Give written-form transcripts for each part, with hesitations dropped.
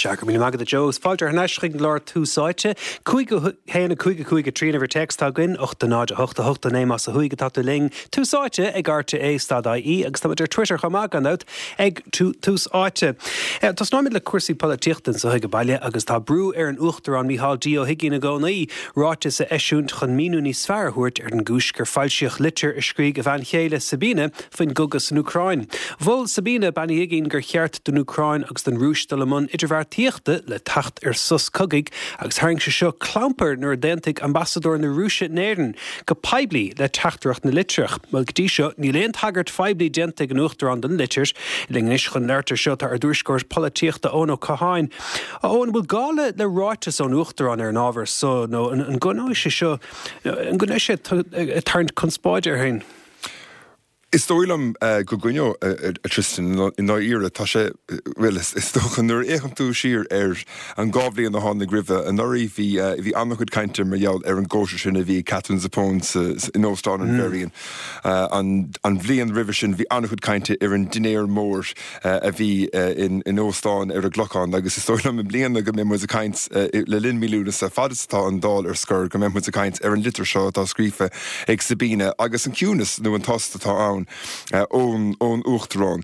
Sea, go raibh míle maith agat a Joe, agus fáilte thar n-ais chuig an gclár Tús Áite. 5 1 5 5 3 an uimhir téacs atá againn, 8 0 8 8 9 más ó thuaidh atá tú linn. Tús Áite ag RTÉ stad IE agus táimid ar Twitter chomh maith gan dabht ag Tús Áite. Tosnóimid le cúrsaí polaitíochta anso ag baile agus tá brú ar an Uachtarán Micheál D Ó hUigínn i gcónaí ráiteas a eisiúint chun míniú níos fearr a thabhairt ar an gcúis gur foilsíodh litir a scrígh a bhean chéile Sabina faoin gcogadh san Úcráin. Mhol Sabina Bean Uí Uigínn gur cheart don Úcráin agus don Rúis dul i mbun idirbheartaíochta le teacht ar sos cogaidh agus tharraing sé seo clampar nuair a d'aontaigh ambasadóir na Rúise in Éirinn go poiblí le teachtaireacht na litreach. Bhuel, go dtí seo, níl aon tagairt phoiblí déanta ag an Uachtarán don litir. Linn anois chun labhairt ar seo tá ár dtuairisceoir polaitíochta Eoin Ó Catháin. A Eoin, an bhfuil gá le le ráiteas ón Uachtarán ar an ábhar so nó an gcoinneoidh sé seo, an gcoinneoidh sé ag tarraingt conspóide air féin? Is dóigh liom go gcoinneoidh, a Tristan, i ndáiríre. Tá sé, bhuel, is dócha, nuair a fhéachann tú siar ar an dá bhliain a tháinig roimhe, anuraidh bhí, bhí an-chuid cainte mar gheall ar an gcóisir sin a bhí ag Katherine Zappone sa, in Óstán an Mherrion. An bhliain roimhe sin bhí an-chuid cainte ar an dinnéar mór a bhí in óstán ar an gClochán agus is dóigh liom i mbliana go mbeidh muid ag caint le linn mí Lúnasa, fad is atá an Dáil ar scor, go mbeidh muid ag caint ar an litir seo atá scríofa ag Sabina agus an ciúnas nó an tost atá ann ón Uachtarán.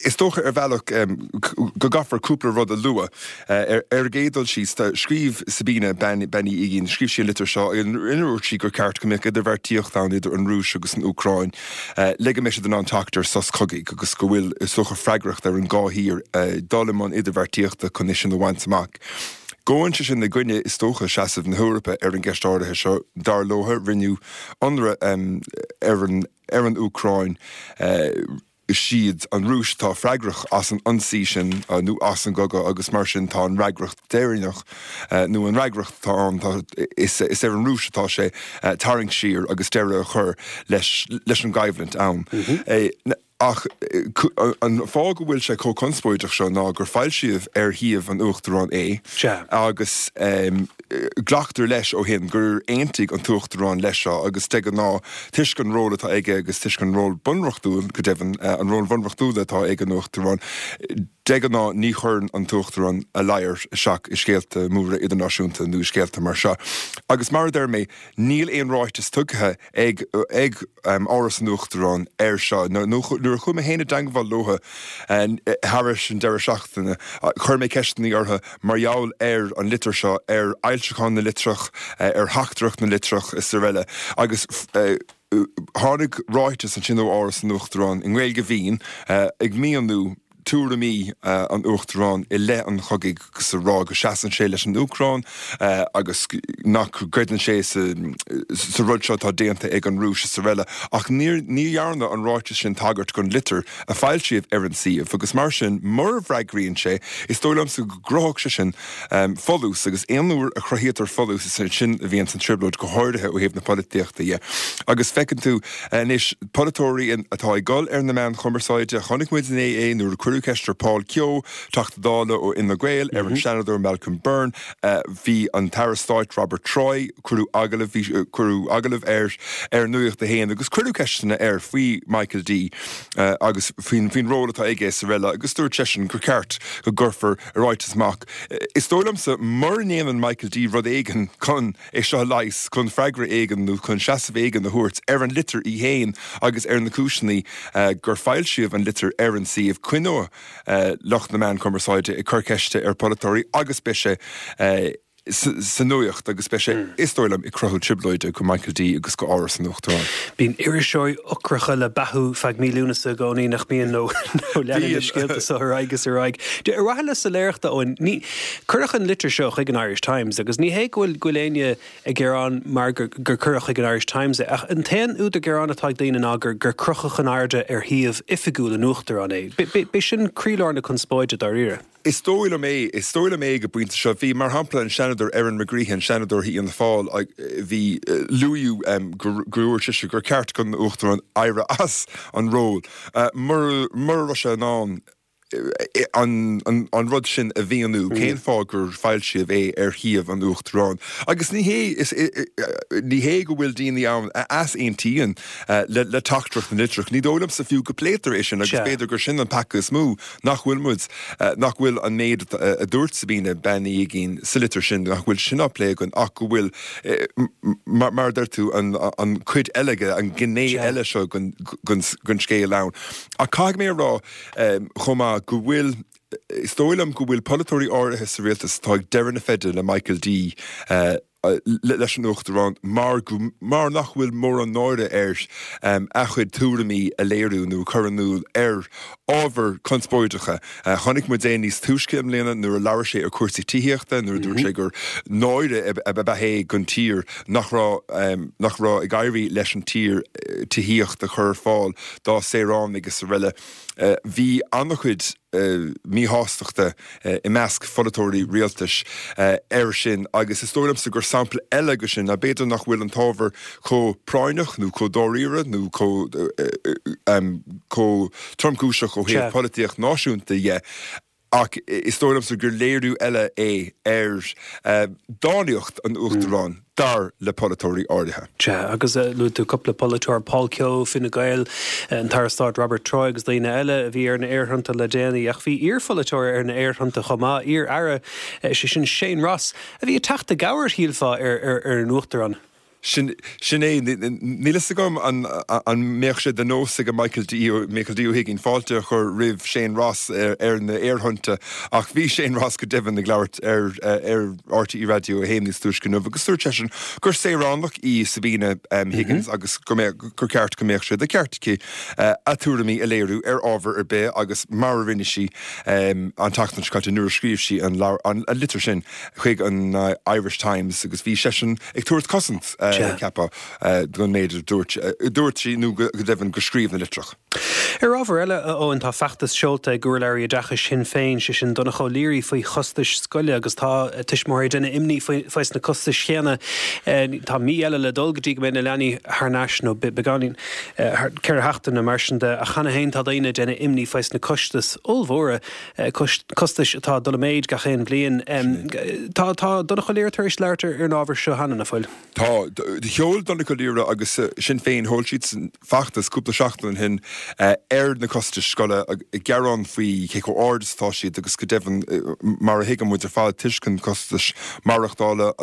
Is dócha ar bhealach go gcaithfear cúpla rud a lua. Ar an gcéad dul síos, scríobh Sabina Bean Uí Uigínn, scríobh sí an litir seo inar dhúirt sí gur ceart go mbeadh idirbheartaíocht ann idir an Rúis agus an Úcráin le go mbeidh siad in ann teacht ar sos cogaidh agus go bhfuil, is dócha, freagracht ar an dhá thír dul i mbun idirbheartaíochta chun é sin a bhaint amach. Gabhann sé sin i gcoinne, is dócha, seasamh na hEorpa ar an gceist áirithe seo. Dar leo, rinneadh ionradh ar an ar an Úcráin. Is iad an Rúis atá freagrach as an ionsaí sin nó as an gcogadh agus mar sin tá an fhreagracht deireanach nó an fhreagracht atá ann, tá, is ar an Rúis atá sé tarraingt siar agus deireadh a chur leis leis an gcoimhlint ann. Ach an fáth go bhfuil sé chomh conspóideach seo ná gur foilsíodh ar shuíomh an Uachtaráin é agus glactar leis ó shin gur aontaigh an tUachtarán leis seo agus de ghnáth Toisc an ról atá aige agus toisc an ról bunreachtúil, go deimhin, an ról bhunreachtúil atá ag an Uachtarán, de ghnáth ní chuireann an tUachtarán a ladhar isteach i scéalta móra idirnáisiúnta nó i scéalta mar seo. Agus mar a deir mé, níl aon ráiteas tugtha ag ag Áras an Uachtaráin air seo. Nuair a chuaigh mé féin i dteangmháil leo thairis an deireadh seachtaine, chuir mé ceisteanna orthu mar gheall ar an litir seo, ar fhoilseachán na litreach, ar theachtaireacht na litreach is araile agus tháinig ráiteas ansin ó Áras an Uachtaráin i nGaeilge mhín ag míniú tuairimí an Uachtaráin i leith an chogaidh agus a rá go seasann sé leis an Úcráin agus nach gcreideann sé sa rud seo atá déanta ag an Rúis is araile ach ní dhearna an ráiteas sin tagairt don litir a foilsíodh ar an suíomh agus mar sin mura bhfreagraíonn sé, is dóigh liomsa go gcruthódh sé sin folús agus aon uair a chruthaítear folús is ansin a bhíonns an trioblóid, go háirithe ó thaobh na polaitíochta dhe. Agus feiceann tú anois polaiteoirí atá ag dul ar na meáin chumarsáide, chonaic muid inné é nuair a cuireadh ceist ar Paul Kehoe, Teachta Dála ó Fhine Gael, ar an Seanadóir Malcolm Byrne, bhí an tAire Stáit Robert Troy, cuireadh agallamh, bhí, cuireadh agallamh air ar Nuacht a hAon agus cuireadh ceisteanna air faoi Michael D agus faoin, faoin ról atá aige is araile agus dúirt seisean gur ceart go gcuirfear ráiteas amach. Is dóigh liomsa mura ndéanann Michael D rud éigin chun é seo a leigheas, chun freagra éigin nó chun seasamh éigin a thabhairt ar an litir í féin agus ar na cúiseanna gur foilsíodh an litir ar an suíomh, coinneoidh lucht na meán cumarsáide ag cur ceiste ar pholaiteoirí agus beidh sé sa nuacht agus beidh sé, is dóigh liom, ag cruthú trioblóide go Michael D agus go Áras an Uachtaráin. Bíonn iriseoirí ocracha le beathú feadh mí Lúnasa i gcónaí, nach mbíonn, nó leanann na scéalta seo ar aghaidh is ar aghaidh. Ar mhaithe le soiléireacht, a Eoin, ní, cuireadh an litir seo chuig an Irish Times agus ní hé go bhfuil, go bhfuil éinne ag gearán mar gur, gur cuireadh chuig an Irish Times é, ach an t-aon údar gearáin atá ag daoine ná gur, gur crochadh in airde ar shuíomh oifigiúil an Uachtaráin é. B'é sin croílár na conspóide, dáiríre. Is dóigh liom é. Is dóigh liom é ag an bpointe seo. Bhí, mar shampla, an Seanadóir Erin McGreehan, Seanadóir Fhianna Fáil, bhí, luadh gur dúirt sise gur ceart don Uachtarán éirí as an ról mura raibh sé in ann. An rud sin a mhíniú, cén fáth gur foilsíodh é ar shuíomh an Uachtaráin? Agus ní hé, ní hé go bhfuil daoine ann a easaontaíonn le teachtaireacht na litreach, ní dóigh liomsa fiú go bpléitear é sin agus b'fhéidir gur sin an peaca is mó, nach bhfuil muid, nach bhfuil an méid a dúirt Sabina Bean Uí Uigínn sa litir sin, nach bhfuil sin á plé againn ach go bhfuil, mar a deir tú, an cuid eile, an ghné eile seo den scéal ann. Ach caithfidh mé a rá, chomh maith, go bhfuil, is dóigh liom go bhfuil polaiteoirí áirithe sa rialtas atá ag deireadh na feide le Michael D, leis an Uachtarán, mar go, mar nach bhfuil mórán náire air a chuid tuairimí a léiriú nó a chur in iúl ar ábhair conspóideacha. Chonaic muid é níos túisce i mbliana nuair a labhair sé ar chúrsaí tithíochta, nuair a dúirt sé gur náire ab ea é don tír nach raibh, nach raibh ag éirí leis an tír tithíocht a chur ar fáil dá saoránaigh is araile. Bhí an-chuid míshástachta i measc pholaiteoirí rialtais air sin agus is dóigh liomsa gur sampla eile de sin ná b'fhéidir nach bhfuil an t-ábhar chomh práinneach nó chomh dáiríre nó chomh tromchúiseach ó thaobh polaitíocht náisiúnta dhe Ach is dóigh liomsa gur léiriú eile é ar dánaíocht an Uachtaráin, dar le polaiteoirí áirithe. Sea, agus luaigh tú cúpla polaiteoir, Paul Kehoe, Fine Gael, an tAire Stáit Robert Troy agus daoine eile a bhí ar na aerthonnta le déanaí. Ach bhí iarpholaiteoir ar na aerthonnta chomh maith, iar-aire, sé sin Shane Ross, a bhí ag teacht i gcabhair, shílfeá, ar an Uachtarán. Sin é. Níl fhios agam an mbeadh sé de nós ag Michael D, Michael D Ó hUiginn fáilte a chur roimh Shane Ross ar na aerthonnta ach bhí Shane Ross go deimhin ag labhairt ar RTÉ Raidió 1 níos túisce inniu agus dúirt seisean gur saoránach í Sabina Higgins agus go mbeadh, gur ceart go mbeadh sé de cheart aici a tuairimí a léiriú ar ábhar ar bith agus mar a rinne sí an tseachtain seo caite nuair a scríobh sí an litir sin. chuig an Irish Times agus bhí seisean ag tabhairt cosaint, cheapfá, don méid a dúirt, a dúirt sí nó go deimhin go scríobh na litreach. Ar ábhar eile, a Eoin, tá feachtas seolta ag urlabhraí oideachais Shinn Féin, sé sin Donncha O'Leary, faoi chostais scoile agus tá tuismitheoirí ag déanamh imní faoi sna costais chéanna. Tá mí eile le dul go dtí go mbeidh na leanaí thar n-ais, nó beagáinín, 4 sheachtaine mar sin de, ach cheana féin tá daoine ag déanamh imní faoi sna costais ollmhóra. costais atá ag dul i méid gach aon bhliain. Tá Donncha O'Leary tar éis labhairt ar an ábhar seo cheana, nach bhfuil? Tá. Sheol Donncha O'Leary agus Sinn Féin, sheol siadsan feachtas cúpla seachtain ó shin ar na costais scoile, ag gearán faoi cé chomh ard is atá siad agus go deimhin, mar a thuigeann muid ar fad, toisc an costais maireachtála,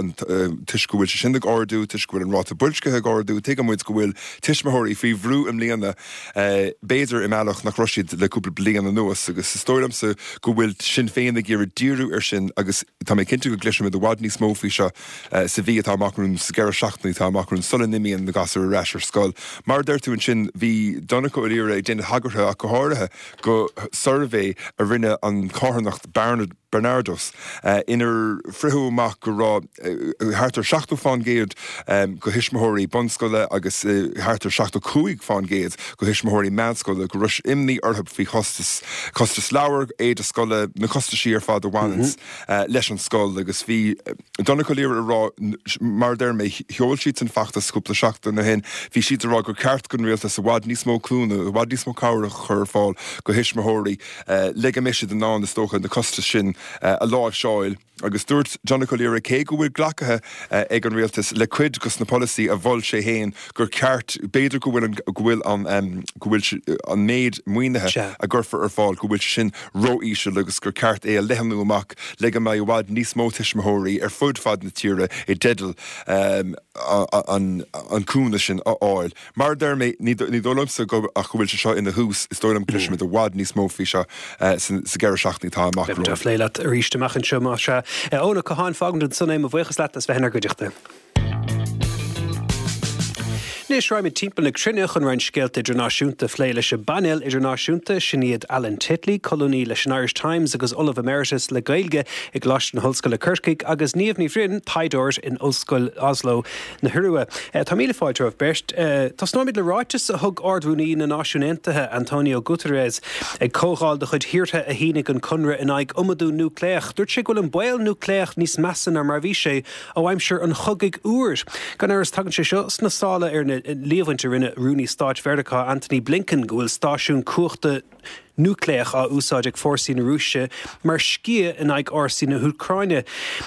toisc go bhfuil sé sin ag ardú, toisc go bhfuil an ráta boilscithe ag ardú, tuigeann muid go bhfuil tuismitheoirí faoi bhrú i mbliana b'fhéidir i mbealach nach raibh siad le cúpla bliain anuas agus is dóigh liomsa go bhfuil Sinn Féin ag iarraidh díriú air sin agus tá mé cinnte go gcloisfimid i bhfad níos mó faoi seo sa mhí atá amach romhainn, sa gceithre seachtainí atá amach romhainn sula n-imíonn na gasúir ar ais ar scoil. Mar a deir tú ansin, bhí Donncha Ó Laoghaire ag déanamh tagartha ach go háirithe go suirbhé a rinne an charthanacht Barnard, Barnardos, inar fritheadh amach go raibh thart ar 70 fán gcéad de thuismitheoirí bunscoile agus thart ar 75 fán gcéad de thuismitheoirí meánscoile go raibh imní orthu faoi chostas, costas leabhar, éide scoile, na costaisí ar fad a bhaineanns leis an scoil agus bhí Donncha Ó Laoghaire ag rá, mar a deir mé, sheol siadsan feachtas cúpla seachtain ó shin, bhí siad ag rá gur ceart don rialtas i bhfad níos mó cúnamh, i bhfad níos mó cabhrach a chur ar fáil do thuismitheoirí. le go mbeidh siad in ann, is dócha, na costais sin a láimhseáil. Agus dúirt Donncha Ó Laoghaire, cé go bhfuil glactha ag an rialtas le cuid dos na polasaí a mhol sé féin, gur ceart, b'fhéidir go bhfuil an, go bhfuil an, go bhfuil an méid maoinithe a gcuirfear ar fáil, go bhfuil sé sin ró-íseal agus gur ceart é a leathnú amach le go mbeidh i bhfad níos mó tuismitheoirí ar fud fad na tíre i dteideal an, an cúnamh sin a fháil. Mar a deir mé, ní dóigh liomsa go ach go bhfuil sé seo ina thús, is dóigh liom go gcloisfimid i bhfad níos mó faoi seo sa gceithre seachtainí atá amach Beimid á romhainn. phlé leat arís amach anseo, más ea. Eoin Ó Catháin, fágaimid ansan é, mo bhuíochas leat as bheith inár gcuideachta. Anois, raghaimid timpeall na cruinne chun roinnt scéalta idirnáisiúnta a phlé leis an bpainéal idirnáisiúnta. Sin iad Alan Titley, colúnaí leis an Irish Times agus Ollamh Emeritus le Gaeilge i gColáiste na hOllscoile Corcaigh, agus Niamh Ní Bhroin, taighdeoir in Ollscoil Oslo. na hIorua. Tá míle fáilte romhaibh beirt. Tosnóimid le ráiteas a thug Ard-Rúnaí na Náisiún Aontaithe, Antonio Guterres, ag comhdháil de chuid thíortha a shínigh an conradh in aghaidh iomadú núicléach. Dúirt sé go bhfuil an baol núicléach níos measa ná mar a bhí sé ó aimsir an Chogaidh Fhuair. Gan amhras tagann sé seo sna sála ar na. líomhaint a rinne Rúnaí Stáit Mheiriceá Antony Blinken go bhfuil stáisiún cumhachta núicléach á úsáid ag fórsaí na Rúise mar sciath in aghaidh fhórsaí na hÚcráine.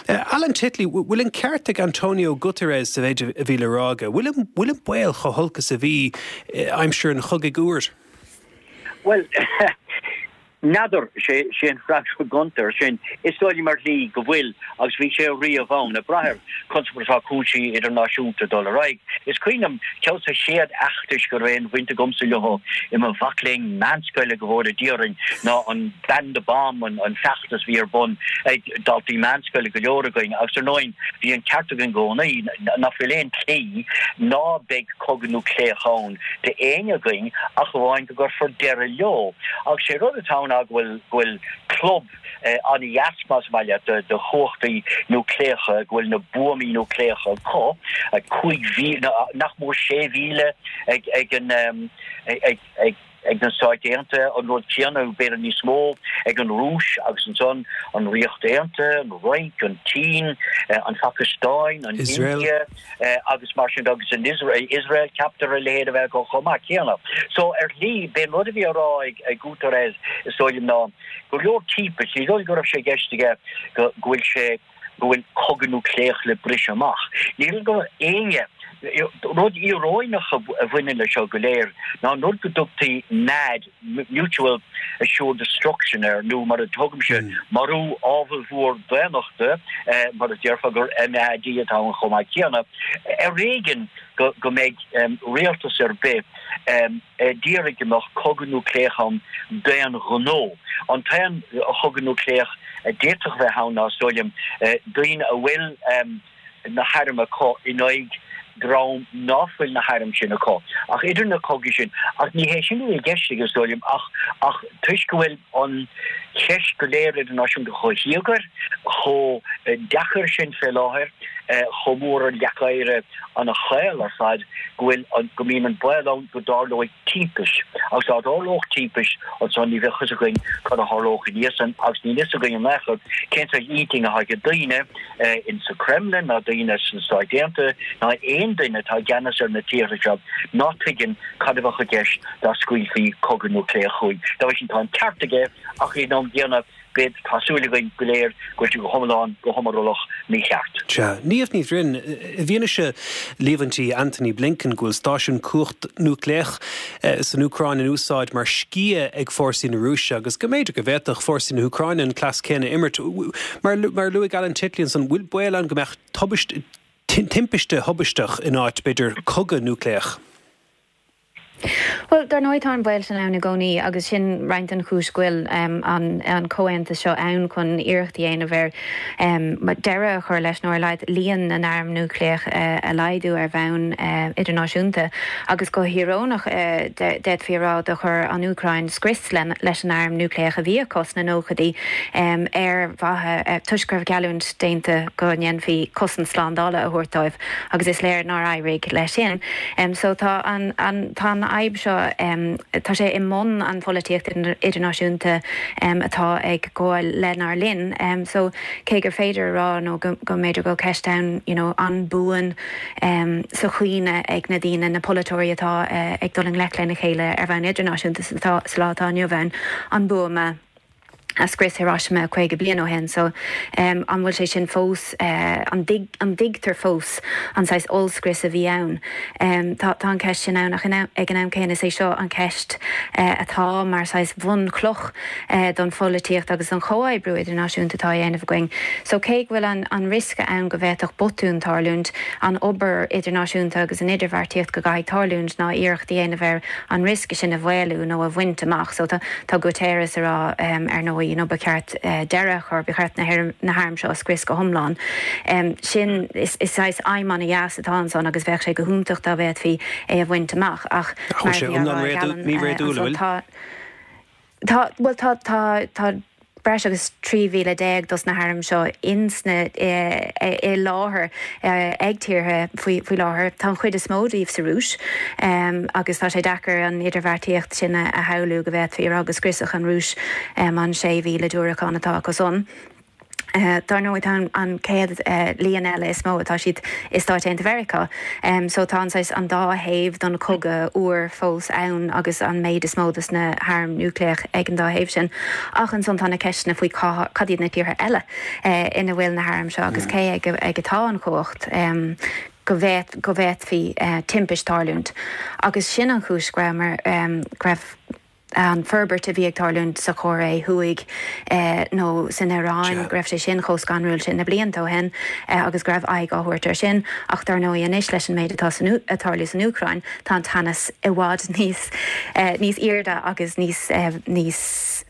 Alan Titley, bhfuil an ceart ag Antonio Guterres sa mhéid a bhí le rá aige? Bhfuil an baol chomh holc is a bhí aimsir an Chogaidh Fhuair? Bhuel, N'fheadar, sé an freagra gonta air sin. Is dóigh liom ar shlí go bhfuil, agus bhí sé riamh ann, ag brath ar conas mar atá cúrsaí idirnáisiúnta ag dul ar aghaidh. Is cuimhin liom ceann de na chéad fheachtais go raibh aon bhaint agamsa leo i mo mhac léinn meánscoile, go bhfóire Dia orainn, ná an Ban the Bomb, an feachtas a bhí ar bun ag daltaí meánscoile, go leor againn, agus ar ndóigh bhí an ceart againn i gcónaí, nach bhfuil aon tslí ná beidh cogadh núicléach ann d'éinne againn ach amháin go gcuirfear deireadh leo. Agus sé rud atá ann ná go bhfuil, go bhfuil club an-dheas, más maith leat, de chumhachtaí núicléacha, go bhfuil na buamaí núicléacha acu, 5,000, nach mór 6,000 ag, ag an, ag, ag, ag na Stáit Aontaithe, an rud céanna, b'fhéidir níos mó, ag an Rúis agus ansan an Ríocht Aontaithe, an Fhrainc, an tSín, an Phacastáin, an India agus mar sin de, agus an Iosrael, ceaptar a leithéid a bheith acu chomh maith céanna. So, ar shlí, b'é an rud a bhí á rá ag Guterres, is dóigh liom, ná go leor timpist, ní dóigh go raibh sé i gceist aige go bhfuil sé, go bhfuil cogadh núicléach le briseadh amach. Ní shílim go bhfuil éinne. Rud íoróineach a bhaineann leis seo go léir ná an rud go dtugtaí MAD, Mutual Assured Destruction, air, nó mar a thugaimse, marú ábhalmhór daonnachta, mar a déarfá gur MAD atá ann chomh maith céanna. Ar éigean go mbeidh rialtas ar bith d'iarraidh go mbeadh cogadh núicléach ann d'aon ghnó. An t-aon chogadh núicléach a d'fhéadfadh a bheith ann ná, is dóigh liom, daoine a bhfuil na hairm acu in aghaidh dream ná fuil na hairm sin acu. Ach idir na cogaí sin, ach ní hé sin a bhí i gceist aige, is dóigh liom, ach ach toisc go bhfuil an cheist go léir idirnáisiúnta chomh híogair, chomh deacair sin fé láthair, chomh mór an leac oighir ana-chaol ar fad go bhfuil an, go mbíonn an baol ann go dtarlóidh timpist. Agus dá dtarlódh timpist ansan ní bheadh a fhios againn cad a tharlódh ina dhiaidh san agus níl a fhios againn in aon chor cén saghas intinn atá ag daoine in sa Kremlin ná daoine sna Stáit Aontaithe ná aon duine atá i gceannas ar na tíortha seo ná tuigeann cad a bheadh i gceist dá scaoilfí cogadh núicléach chugainn. Dá bhrí sin tá an ceart aige ach ag an am gcéanna Beidh, tá súil againn go léir go bhfuil sé go hiomlán, go hiomrallach mícheart. Sea. Niamh Ní Bhroin, i bhfianaise líomhaintí Antony Blinken go bhfuil stáisiún cumhacht núicléach san Úcráin in úsáid mar sciath ag fórsaí na Rúise agus go mb'fhéidir go bhféadfadh fórsaí na hÚcráine an cleas céanna a imirt, mar a luaigh Alan Titley ansan, bhfuil baol ann go mbeadh tubaist, timpiste thubaisteach in áit, b'fhéidir, cogadh núicléach? Bhuel, dar ndóigh tá an baol sin ann i gcónaí agus sin roinnt den chúis go bhfuil an comhaontas seo ann chun iarracht a dhéanamh ar deireadh a chur leis nó ar a laghad líon na n-arm núicléach a laghdú ar bhonn idirnáisiúnta. Agus go híoróineach d'fhéadfaí a rá do chuir an Úcráin scrios leis an arm núicléach a bhí acu sna nóchaidí ar mhaithe toisc go raibh geallúint déanta go ndéanfaí cosaint slándála a thabhairt dóibh agus is léir nár éirigh leis sin. So tá an, an, tá an fhadhb seo, tá sé i mbun an pholaitíocht idirnáisiúnta atá ag gabháil lenár linn. So cé gur féidir a rá nó go, go mb'fhéidir go bhfuil ceist ann you know an buan sa chuimhne ag na daoine, na polaiteoirí atá ag dul i ngleic lena chéile ar bhonn idirnáisiúnta sa lá atá inniu ann, an buama a scrios Hiroshima 50 bliain ó shin. So, an bhfuil sé sin fós, an dtuigtear fós an saghas ollscrios a bhí ann? Tá an cheist sin ann ach ag an am céanna is é seo an cheist atá mar saghas bhunchloch don pholaitíocht agus don chomhoibriú idirnáisiúnta atá á dhéanamh againn. So, cé go bhfuil an riosca ann go bhféadfadh botún tarlúint, an obair idirnáisiúnta agus an idirbheartaíocht go gcaithfidh tarlúint ná iarracht a dhéanamh ar an riosca sin a mhaolú nó a bhaint amach. So tá Guterres ag rá ar ndóigh you know ba cheart deireadh a chur, ba cheart na hairm seo a scrios go hiomlán. Sin, is saghas aidhm an-dheas atá ansan agus bheadh sé go hiontach dá bhféadfaí é a bhaint amach ach mar a bhí á rá ag Alan ansan tá, Tá, bhuel tá, tá, tá breis agus 13,000 dos na hairm seo ins na, i láthair ag tíortha faoi, faoi láthair. Tá an chuid is mó díobh sa Rúis agus tá sé deacair an idirbheartaíocht sin a shamhlú go bhféadfaí a rá go scriosfadh an Rúis an 6,000 diúracán atá acu san. Dar ndóigh tá an chéad líon eile is mó atá siad i Stáit Aontaithe Mheiriceá. So tá an saghas an dá thaobh don chogadh fhuar fós ann agus an méid is mó dos na hairm núicléach ag an dá thaobh sin. Ach ansan tá na ceisteanna faoi cad iad na tíortha eile ina bhfuil na hairm seo agus cé ag atá an chumhacht go bhféadfaí timpist tarlúint. Agus sin an chúis go rabhamar, go raibh. an forbairt a bhí ag tarlúint sa Chóiré Thuaidh nó san Iaráin, go raibh sé sin chomh scanrúil sin na blianta ó shin agus go raibh aghaidh á thabhairt air sin. Ach dar ndóigh anois leis an méid atá ag tarlú san Úcráin, tá an teannas i bhfad níos níos airde agus níos níos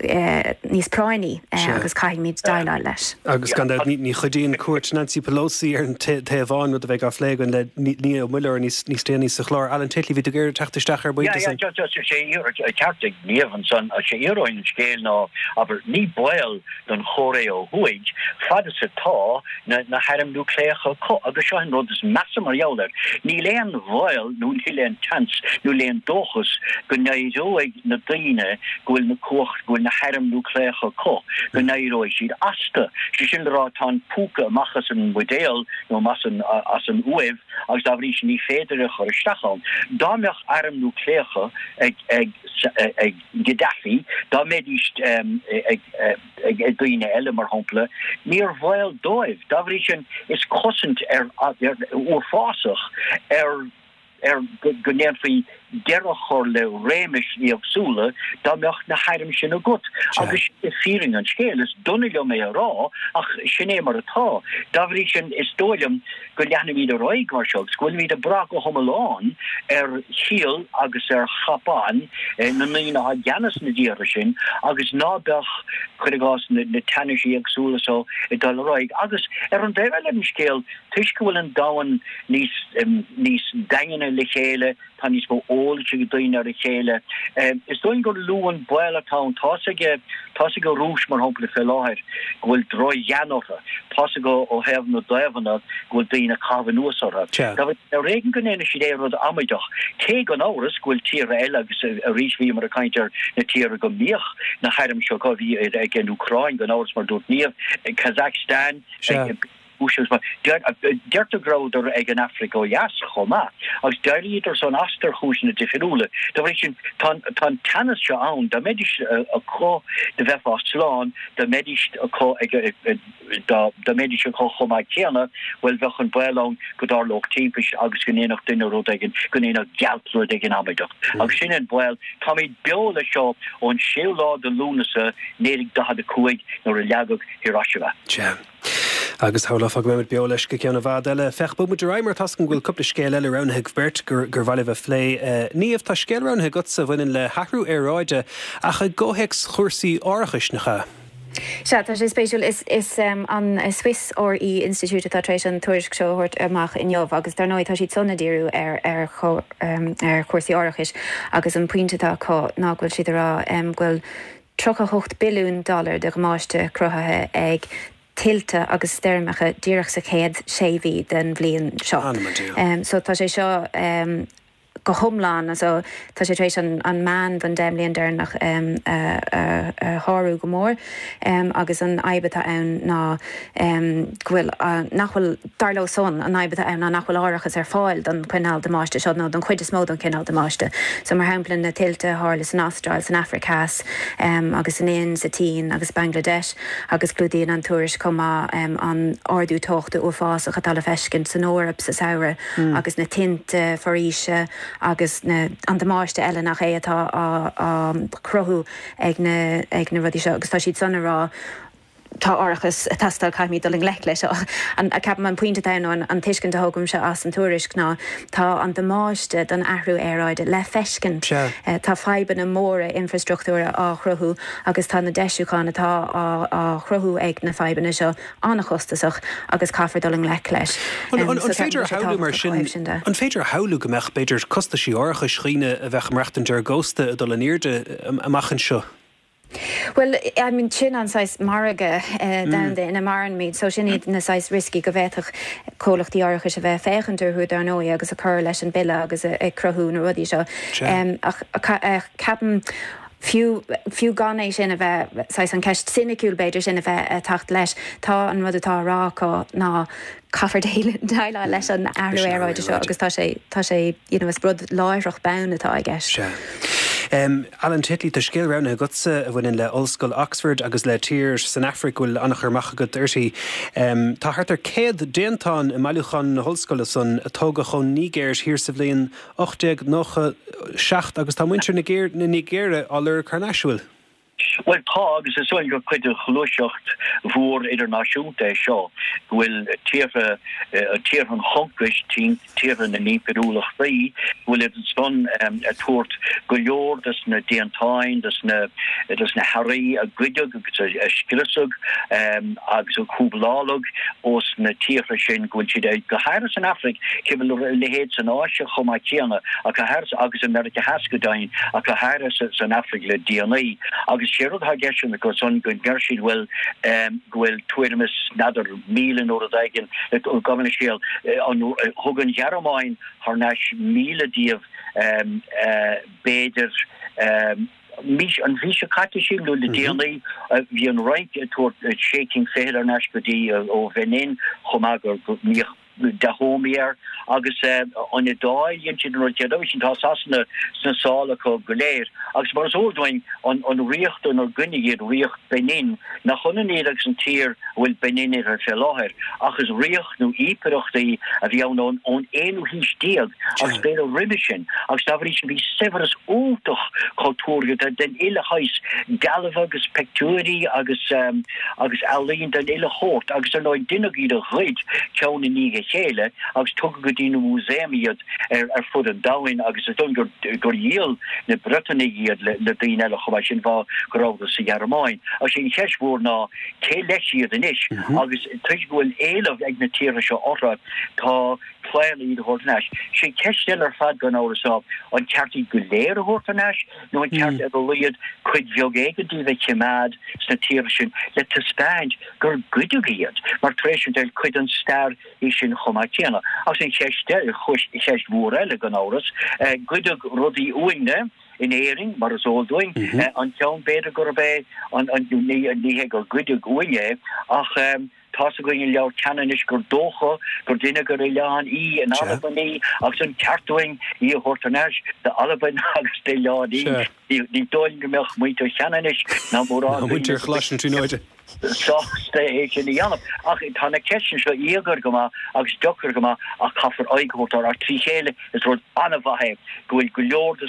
níos práinní agus caithfimid déileáil leis. Agus gan dabht ní chuidíonn cuairt Nancy Pelosi ar an Téaváin, rud a bheidh á phlé againn le Niamh Ó Muilleoir níos déanaí sa chlár. Alan Titley, bhí tú ag iarraidh teacht isteach ar bpointe ansan. Yeah, yeah, just sé ceart ag Niamh ansan, sé íoróin an scéil ná, abair, ní baol don Chóiré ó Thuaidh fad is atá na na hairm núicléacha acu agus seo an rud is measa mar gheall air, níl aon bhaol nó níl aon tseans nó níl aon dóchas go n-éireoidh na daoine go bhfuil na cumhacht, go bhfuil na hairm núicléacha acu, go n-éireoidh siad astu. Sé sin le rá, tá an púca amach as an mbuidéal nó amach as an uaimh agus dá bhrí sin ní féidir é a chur isteach ann. Dá mbeadh airm núicléacha ag ag ag Gaddafi, dá mbeidís ag ag daoine eile, mar shampla, níor bhaol dóibh. Dá bhrí sin, is cosaint ar uafásach ar ar go ndéanfaí deireadh a chur le réimis éagsúla dá mbeadh na hairm sin agat. Agus sin é fírinne an scéil. Is dona liom é a rá ach sin é mar atá. Dá bhrí sin, is dóigh liom go leanfaimid ar aghaidh mar seo agus go bhfuilimid ag brath go hiomlán ar chiall agus ar chapán na ndaoine atá i gceannas na dtíortha sin agus ná beadh, cuir i gcás, na teannais éagsúla so ag dul ar aghaidh. Agus ar an dtaobh eile den scéal, Toisc go bhfuil an domhan níos níos daingne le chéile, tá níos mó eolais ag daoine ar a chéile. Is dóigh gur lú an baol atá ann. Tá's ag tá's ag an Rúis, mar shampla, fé láthair go bhfuil droch-ghean orthu. Tá's acu ó thaobh na dtaobhanna go bhfuil daoine ag caitheamh anuas orthu. Ar éigean go ndéanfaidh siad aon rud amaideach. Cé gan amhras go bhfuil tíortha eile, agus arís bhíomar ag caint ar na tíortha go mbíodh na hairm seo acu, bhí ag an Úcráin gan amhras mar a dúirt Niamh, Kazakhstan, Deirtear go rabhadar ag an Afraic ó Dheas chomh maith, agus d'éiríodar san astu ar chúiseanna difriúla. Dá bhrí sin, tá an teannas seo ann. Dá mbeidís acu, do bheifeá slán, dá mbeidís acu ag, dá mbeidís acu chomh maith céanna, bhuel, bheadh an baol ann go dtarlódh timpist agus go ndéanfadh duine rud éigin, go ndéanfadh gealt rud éigin amaideach. Agus sin an baol. Táimid beo leis seo ón séú lá de Lúnasa 1945 nuair a leagadh Hiroshima. Sea. Agus shamhlófá go mbeimid beo leis go ceann i bhfad eile. Féach, bogfaidh muid ar aghaidh mar tá's agam go bhfuil cúpla scéal eile roghnaithe agaibh beirt gur mhaith libh a phlé. Niamh, tá scéal roghnaithe agatsa a bhaineann le hathrú aeráide ach i gcomhthéacs chúrsaí árachais, nach ea? Sea, tá sé spéisiúil. Is an Swiss RE Institute atá tar éis an tuairisc seo a thabhairt amach inniu agus dar ndóigh tá siad san ag díriú ar ar chúrsaí árachais agus an pointe atá acu ná go bhfuil siad ag rá go bhfuil 38 billiún dollar de dhamáiste cruthaithe ag tuilte agus stoirmeacha díreach sa chéad sé mhí den bhliain seo. So tá sé seo go hiomlán, so tá sé tar éis an meán don 10 mbliain deireanach a shárú go mór agus an fhadhb atá ann ná go bhfuil, nach bhfuil, dar leo san, an fhadhb atá ann ná nach bhfuil árachas ar fáil don chineál damáiste seo, nó don chuid is mó don chineál damáiste. So, mar shampla, na tuilte a tharla san Astráil, san Afraic Theas, agus san Ind, sa tSín agus Bangladesh, agus clúdaíonn an tuairisc chomh maith an ardú teochta uafásach atá le feiscint san Eoraip sa samhradh, agus na tinte foraoise agus na, an damáiste eile nach é atá á, á chruthú ag na, ag na rudaí seo. Agus tá siad san ag rá, tá árachas ag teastáil, caithfimid dul i ngleic leis seo. Ceapaim an pointe atá ann nó an tuiscint a thógaimse as an tuairisc ná tá an damáiste don athrú aeráide le feiscint. Tá fadhbanna móra infreastruchtúra á chruthú agus tá na deisiúcháin atá á chruthú ag na fadhbanna seo an-chostasach agus caithfear dul i ngleic leis. An féidir a shamhlú mar sin, an féidir a shamhlú go mbeadh, b'fhéidir, costaisí árachais dhaoine a bheadh ag maireachtaint ar an gcósta ag dul in airde amach anseo? Bhuel, I mean, sin an saghas margadh domhanda ina mairimid, so sin iad na saghas rioscaí go bhféadfadh comhlachtaí árachais a bheith ag féachaint orthu, dar ndóigh, agus ag cur leis an bille agus ag cruthú na rudaí seo. Ach ceapaim, Fiú, fiú gan é sin a bheith, saghas an ceist soiniciúil b'fhéidir sin a bheith ag teacht leis, tá an rud atá á rá acu ná caithfear déileáil leis an athrú aeráide seo agus tá sé, tá sé, you know, is rud láithreach bonn atá i gceist. Sea. Alan Titley, tá scéal roghnaithe agatsa a bhaineann le Ollscoil Oxford agus le tír san Afraic go bhfuil an-chur amach agat uirthi. Tá thart ar 100 déantán i mbailiúchán na hollscoile san a tógadh ón Nigéir thiar sa bhliain 1897 agus tá muintir na Nigéire á lorg thar n-ais, an bhfuil? Bhuel, tá, agus is dóigh gur cuid de ghluaiseacht mhór idirnáisiúnta é seo, go bhfuil tíortha, tíortha an choncais, tíortha na n-impiriúlachtaí, go bhfuil iad ansan ag tabhairt go leor des na déantáin, des na, des na hearraí a goideadh agus a scriosadh agus a cúbláladh ós na tíortha sin, go bhfuil siad, go háirithe san Afraic, cé go bhfuil a leithéid san Áise chomh maith céanna, ach go háirithe, agus i Meiriceá Theas go deimhin, ach go háirithe san Afraic le déanaí. Agus sé rud atá i gceist acu san go ndeir siad bhuel go bhfuil tuairim is, n'fheadar, 1,000 nó rud éigin, gabh mo leithscéal, thug an Ghearmáin thar n-ais 1,000 díobh b'fhéidir, mí, an mhí seo caite sílim nó le déanaí, bhí an Fhrainc ag tabhairt sé cinn fichead thar n-ais go dtí ó Bhenin chomh maith go mbíodh Dahomey air agus an Iodáil, dhein siad an rud céanna sin, tá Sasana sna sála acu go léir agus mar is eol dúinn an ríocht inar goineadh iad, ríocht Benin, nach ionann iad agus an tír a bhfuil Benin uirthi fé láthair ach is ríocht nó impireacht í a bhí ann ón aonú haois déag agus b'fhéidir roimhe sin agus dá bhrí sin bhí saibhreas iontach cultúrtha den uile shaghas, dealbha agus pictiúirí agus. agus ealaín den uile shórt agus ar ndóigh deineadh iad a ghoid ceann i ndiaidh a chéile agus tugadh go dtí na músaeim iad ar fud an domhain agus is dóigh gur gur dhíol na Briotanaigh iad le daoine eile chomh maith sin fáth go rabhadar sa Ghearmáin. Agus sé an cheist mhór ná cé leis iad anois agus toisc go bhfuil éileamh ag na tíortha seo orthu tá claonadh iad a thabhairt thar n-ais. Sé ceist eile ar fad gan amhras ná an ceart iad go léir a thabhairt thar n-ais nó an ceart ar a laghad cuid bheag éigin díobh a choimeád sna tíortha sin le taispeáint gur goideadh iad, mar tar éis an tsaoil, cuid den stair í sin chomh maith céanna. Agus an cheist, cheist mhór eile, gan amhras, goideadh rudaí uainne in Éirinn, mar is eol dúinn, an ceann b'fhéidir gurb é an, ní hé gur goideadh uainn é, ach Tá's againn i Leabhar Ceanannais gur dócha gur deineadh ar Oileán Í in Albain í agus an ceart dúinn í a thabhairt thar n-ais d'Albain agus d'Oileán Í. Ní dóigh liom go mbeadh muintir Cheanannais ná mórán daoine muintir Choláiste na Tríonóide. sásta é sin a dhéanamh. Ach tá na ceisteanna seo íogair go maith agus deacair go maith ach caithfear aghaidh a thabhairt orthu. Ach trí chéile is rud an-mhaith é go bhfuil go leor de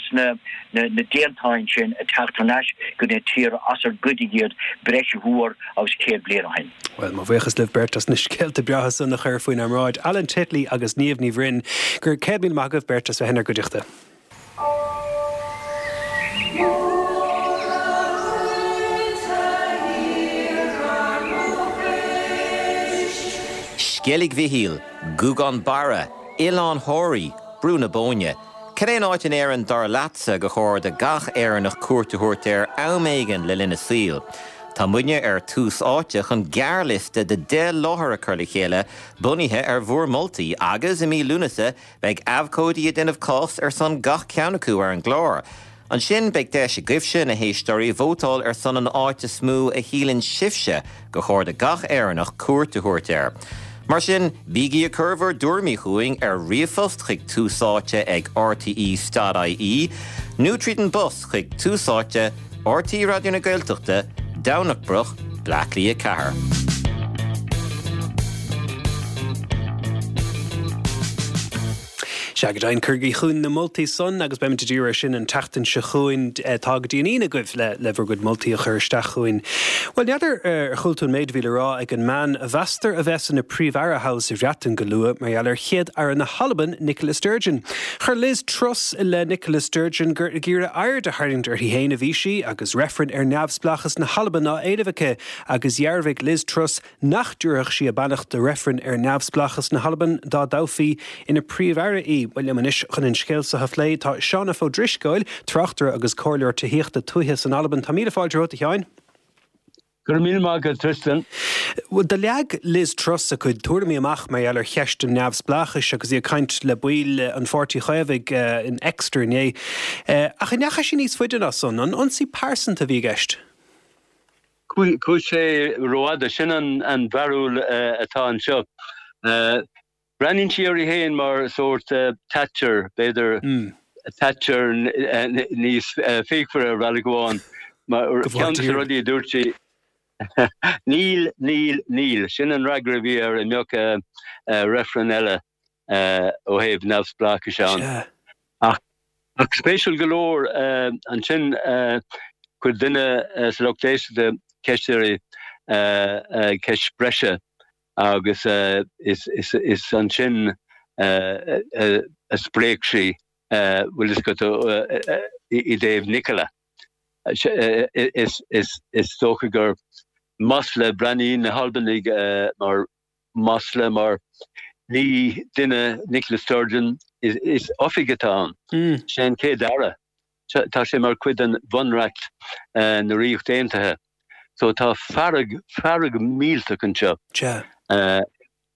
na déantáin sin ag teacht thar n-ais go na tíortha as ar goideadh iad breis mhór agus 100 bliain ó shin. Bhuel, mo bhuíochas libh beirt as na scéalta breátha san a chur faoinár mbráid, Alan Titley agus Niamh Ní Bhroin. Go raibh 100,000 maith agaibh beirt as bheith inár gcuideachta. Sceilg Mhichíl, Gougane Barra, Oileán Thoraí, Brú na Bóinne. Cad é an áit in Éirinn dar leatsa gur chóir do gach Éireannach cuairt a thabhairt air am éigin le linn a saoil? Tá muidne ar Tús Áite chun gearrliosta de 10 láthair a chur le chéile bunaithe ar bhur moltaí agus i mí Lúnasa beidh abhcóidí ag déanamh cás ar son gach ceann acu ar an gclár. Ansin beidh deis agaibhse, na héisteoirí, vótáil ar son an áit is mó a shíleann sibhse gur chóir do gach Éireannach cuairt a thabhairt air. Mar sin, bígí ag cur bhur dtuairimí chugainn ar ríomhphost chuig túsáite ag rte.ie nó tríd an bpost chuig Tús Áite, RTÉ Raidió na Gaeltachta, Domhnach Broc, Bleá Cliath 4. Sea, go deimhin, cuirigí chugainn na moltaí san agus beimid ag díriú air sin an tseachtain seo chugainn. Tá go dtí an Aoine agaibh le le bhur gcuid moltaí a chur isteach chugainn. Bhuel, n'fheadar ar chuala tú an méid a bhí le rá ag an mbean a mheastar a bheas ina Príomh-Aire thall sa Bhreatain go luath mar gheall ar Chéad-Aire na hAlban, Nicola Sturgeon. Chuir Liz Truss i leith Nicola Sturgeon gur ag iarraidh aird a tharraingt uirthi féin a bhí sí agus reifreann ar neamhspleáchas na hAlban á éileamh aici agus dhearbhaigh Liz Truss nach dtabharfadh sí a beannacht do reifreann ar neamhspleáchas na hAlban dá dtoghfaí ina Príomh-Aire í. Bhuel, liom anois chun an scéal seo a phlé tá Seán F Ó Drisceoil, tráchtaire agus comhairleoir tithíochta tuaithe san Albain. Tá míle fáilte romhat, a Sheáin. Go raibh míle maith agat, Tristan. Bhuel, do leag Liz Truss a cuid tuairimí amach mar gheall ar cheist an neamhspleáchais agus í ag caint le baill an Pháirtí Chaomhaigh in Exeter inné. Ach an ndeachaigh sí níos faide ná san? An ionsaí pearsanta a bhí i gceist? Chuaigh sé rófhada. Sin an bharúil atá anseo. Breathnaíonn sí uirthi féin mar sórt Thatcher, b'fhéidir, Thatcher níos fíochmhaire ar bhealach amháin. Mar ceann de na rudaí a dúirt sí, Níl, níl, níl. Sin an fhreagra a bhí air a mbeadh reifreann eile ó thaobh neamhspleáchais ann. Ach spéisiúil go leor, ansin chuir duine sa lucht éisteachta ceist uirthi, ceist breise, agus is ansin a spréach sí, bhfuil fhios agat, i dtaobh Nicola. Is dócha gur masla, breathnaíonn na hAlbanaigh mar masla mar ní duine Nicola Sturgeon, is oifig atá ann. Sé an chéad aire. Tá sé mar chuid den bhunreacht na Ríocht Aontaithe. So tá fearg, fearg millteach anseo. Sea.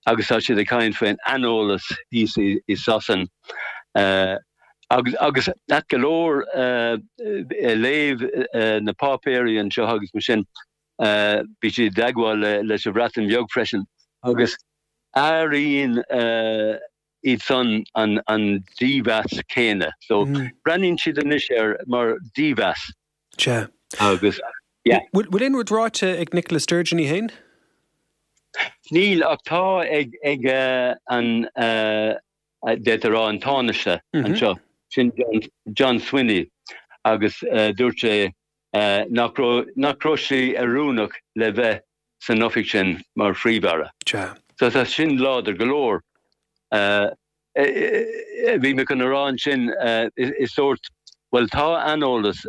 Agus tá siad ag caint faoin aineolas thíos i Sasain. Agus, agus ait go leor, léamh na páipéirí anseo agus mar sin, bhí siad i dteagmháil leis an Bhreatain Bheag freisin. Agus airíonn iad san an dímheas céanna. So breathnaíonn siad anois air mar dímheas. Sea. Agus, yeah. Bhfuil aon rud ráite ag Nicola Sturgeon í féin? Níl, ach tá ag ag an, d'fhéadfá a rá, an Tánaiste anseo, sin John Swinney, agus dúirt sé nach raibh, nach raibh sí oiriúnach le bheith san oifig sin mar Phríomh-Aire. Sea. So tá sin láidir go leor. Bhí mé chun a rá ansin, is sórt, bhuel tá aineolas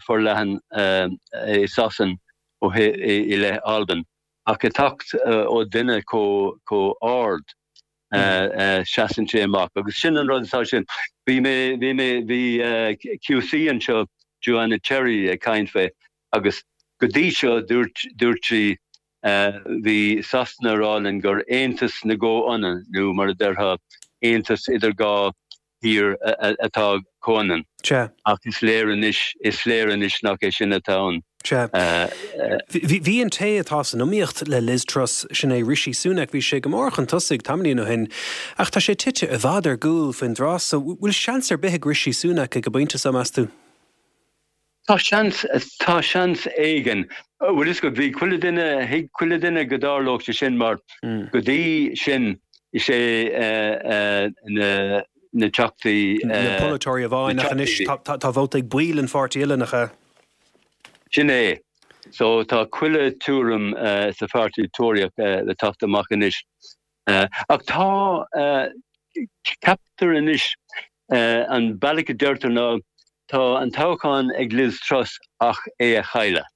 forleathan i Sasain ó i leith Albain, ach ag teacht ó duine chomh ard, seasann sé amach. Agus sin an rud atá sin. Bhí mé, bhí mé, bhí QC anseo, Joanna Cherry ag caint fé, Agus go dtí seo, dúirt, dúirt sí, bhí Sasana ag rá linn gur aontas na gcomhionann, nó mar a déarfá, aontas idir dhá thír atá comhionann. Sea. Ach is léir anois, is léir anois nach é sin atá ann. Sea. Bhí an té atá san iomaíocht le Liz Truss, sin é Rishi Sunak, bhí sé go mór chun tosaigh tamaillín ó shin, ach tá sé tite i bhfad ar gcúl faoin dtráth so. Bhfuil seans ar bith ag Rishi Sunak ag an bpointe seo, meas tú? Tá seans, tá seans éigin. Bhfuil fhios agat, bhí chuile duine, thuig chuile duine go dtarlódh sé sin mar go dtí sin is é na, na teachtaí, Na polaiteoirí amháin ach anois tá, tá vóta ag baill an pháirtí uile, nach ea? Sin é. So tá chuile tuairim sa pháirtí Tóraíoch le teacht amach anois. Ach tá, ceaptar anois, an bealach a deirtear ná tá an toghchán ag Liz Truss ach é a chailleadh.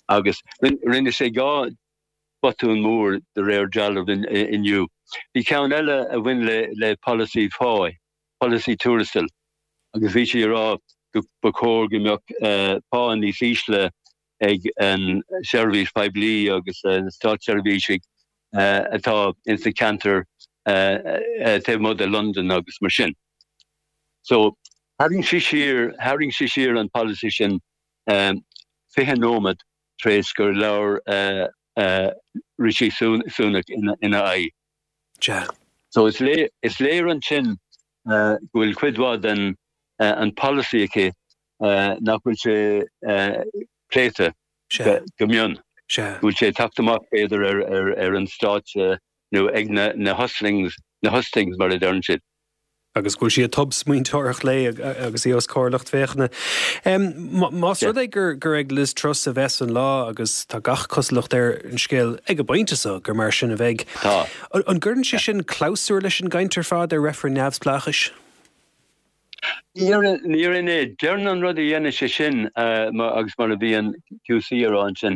Agus rinne sé 2 botún mór de réir dealraimh inniu. Bhí ceann eile a bhain le polasaí pá, polasaí tuarastail, agus bhí sí ag rá go ba chóir go mbeadh pá níos ísle ag an seirbhís phoiblí agus na státseirbhísigh atá ins na ceantair taobh amuigh de Londain agus mar sin. So, tharraing sí siar, tharraing sí siar an polasaí sin 20 nóiméad tar éis gur labhair Rishi Sunak ina aghaidh. Sea. So is léir, is léir ansin go bhfuil cuid mhaith den an polasaí aici nach bhfuil sé pléite go mion. Sea. Go bhfuil sé ag teacht amach b'fhéidir ar an stáitse nó ag na hustings, na hustings mar a deireann siad. Agus go bhfuil sí ag tobsmaointeoireacht léi agus í os comhair lucht féachana. Más rud é gur ag Liz Truss a bheas an lá agus tá gach cosúlacht ar an scéal ag an bpointe seo gur mar sin a bheidh, an gcuireann sé sin clabhsúr leis an gcaint ar fad ar reifreann neamhspleáchais? Ní dhéarfainn é. Déarfainn an rud a dhéanfaidh sé sin, agus mar a bhí an QC a rá ansin,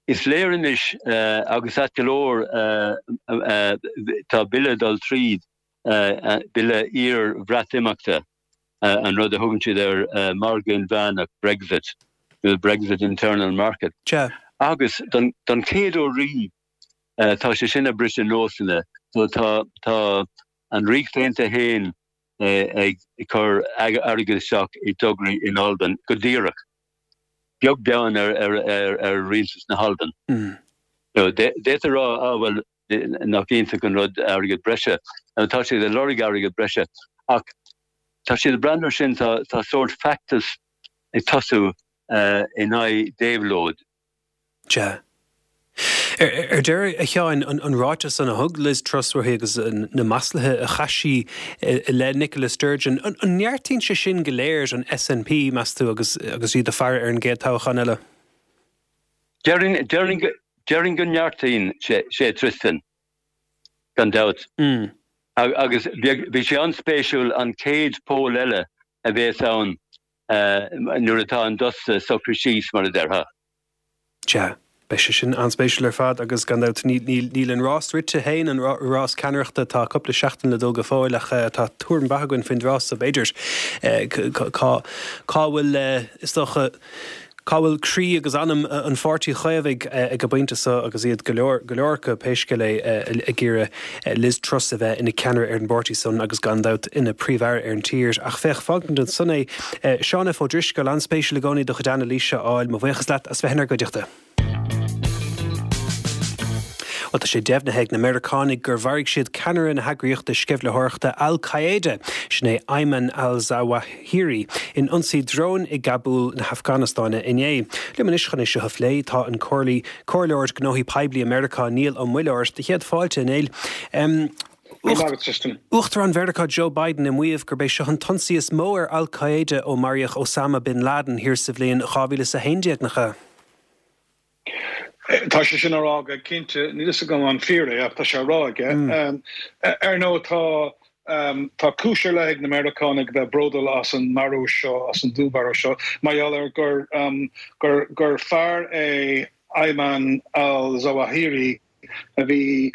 is léir anois, agus ait go leor, tá bille ag dul tríd, bille iar-Bhreatimeachta, an rud a thugann siad ar margadh inmheánach, Brexit, nó Brexit Internal Market. Agus don chéad uair riamh tá sé sin ag briseadh nósanna. So tá tá an Ríocht Aontaithe féin ag cur airgead isteach i dtograí in Albain go díreach, beag beann ar ar rialtas na hAlban. D'fhéadfá a rá, ah bhuel, nach iontach an rud airgead breise. Tá siad ag lorg airgead breise ach tá siad ag breathnú air sin, tá sórt feachtas ag tosú in aghaidh déabhlóid. Sea. Ar deireadh, a Sheáin, an ráiteas san a thug Liz Truss uaithi agus na maslaithe a chaith sí i leith Nicola Sturgeon, an neartaíonn sé sin go léir an SNP, meas tú, agus iad ag faire ar an gcéad toghchán eile? Déarfainn go neartaíonn sé, Tristan, gan dabht. Agus bhí sé an-spéisiúil an chéad poll eile a bhéas ann nuair atá an dusta socraithe síos, mar a déarfá. Sea, beidh sé sin an-spéisiúil ar fad agus gan dabht níl an rás rite féin, an rás ceannaireachta, tá cúpla seachtain le dul go fóill ach tá tuairim mhaith againn faoin dtráth so b'fhéidir cá bhfuil, is dócha, Cá bhfuil croí agus anam an Pháirtí Chaomhaigh ag an bpointe seo agus iad, go leor, go leor acu, pé scéal é, ag iarraidh Liz Truss a bheith ina ceannaire ar an bpáirtí san agus gan dabht ina Príomh-Aire ar an tír. Ach féach, fágfaimid ansan é. Seán F. Ó Drisceoil, an-spéisiúil i gcónaí do chuid anailíse a fháil. Mo bhuíochas leat as bheith inár gcuideachta. Bhuel, tá sé deimhnithe ag na Meiriceánaigh gur mharaigh siad ceannaire na heagraíochta sceimhlitheoireachta Al Qaeda, sin é Ayman al-Zawahiri, in ionsaí dróin i gCabúl na hAfganastáine inné. Liom anois chun é seo a phlé tá an Comhairleoir Gnóthaí Poiblí i Meiriceá, Niall Ó Muilleoir. Do chéad fáilte, a Néill. Uachtarán Mheiriceá Joe Biden ag maíomh gurb é seo an t-ionsaí is mó ar Al Qaeda ó maraíodh Osama bin Laden thiar sa bhliain 2011, nach ea? Tá sé sin á rá aige, cinnte. Níl fhios agam an fíor é ach tá sé á rá aige. Ar ndóigh tá tá cúis ar leith ag na Meiriceánaigh bheith bródúil as an marú seo, as an dúnmharú seo, mar gheall ar gur gur gur fear é Ayman al-Zawahiri a bhí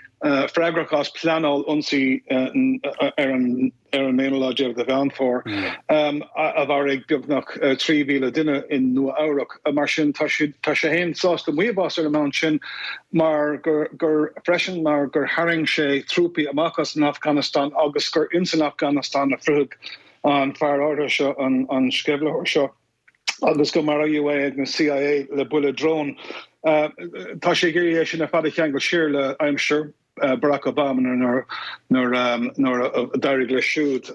freagrach as pleanáil ionsaí ar an ar an aonú lá déag de Mheán Fómhair, a mharaigh beagnach 3,000 duine i Nua Eabhrac. Mar sin, tá sé féin sásta maíomh as ar an mbonn sin mar gur, gur, freisin mar gur tharraing sé trúpaí amach as an Afganastáin agus gur ins an Afganastáin a fritheadh an fear áirithe seo, an sceimhlitheoir seo. agus go maraíodh é ag na CIA le buille drón. Tá sé ag iarraidh é sin ar fad a cheangal siar le aimsir Barack Obama nuair nuair a d'éirigh leis siúd